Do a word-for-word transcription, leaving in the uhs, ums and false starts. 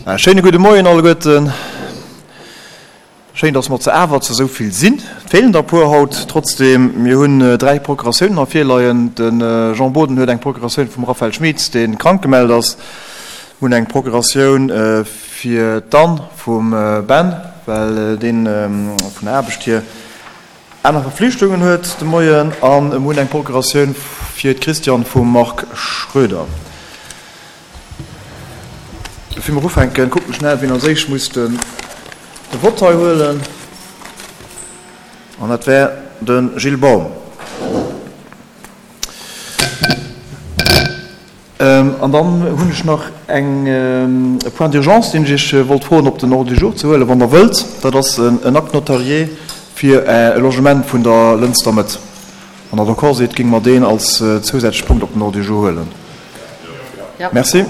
Schéine gudde Moien alleguerten. Schéin, dass mer zu awer zu esou vill sinn. Et feelen der e puer haut. Trotzdem, mir hunn dräi Procuratiounen hei virleien. De Jean Boden huet eng Procuratioun vum Raphaël Schmitz, dee krank gemellt ass. Mir hunn eng Procuratioun fir d'Anne vum Ben, well dee vun der Aarbecht hier aner Verflichtungen huet de Moien. A mir hunn eng Procuratioun fir d'Christiane vum Marc Schroeder. Bevir mer ufänken, kucken ech schnell, wien als éischt muss de Vott hei huelen. An dat wär de Gilles Baum. An dann hunn ech nach eng, e Point d'urgence, deen ech Iech wollt froen, op den Ordre du jour ze huelen, wann Der wëllt. Dat ass en Acte notarié fir e Logement vun der Lënster Mëtt. Wann Der d'accord sidd, géinge mer deen als zousätzleche Punkt op den Ordre du jour huelen. Merci.